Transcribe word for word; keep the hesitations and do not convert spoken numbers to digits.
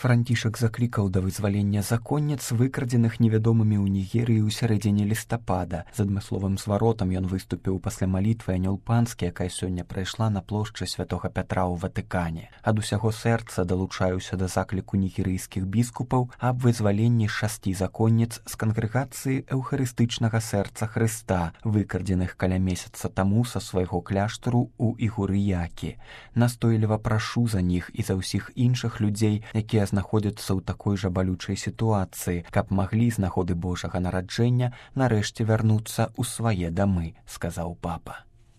Францішак заклікаў да вызвалення законніц, выкрадзеных невядомымі ў Нігерыі ў сярэдзіне лістапада. З адмысловым зваротам ён выступіў пасля малітвы Анёл Панскі, якая сёння прайшла на плошчы Святога Пятра ў Ватыкане. Ад усяго сэрца далучаюся да закліку нігерыйскіх біскупаў аб вызваленні шасці законніц з кангрэгацыі Эўхарыстычнага сэрца Хрыста, выкрадзеных каля месяца таму са свайго кляштару ў Ігурыякі. Настойліва прашу за них і за ўсіх іншых людзей, якія знаходзяцца ў такой жа балючай сітуацыі, каб маглі з нагоды Божага нараджэння нарэшце вярнуцца ў свае дамы, сказаў папа.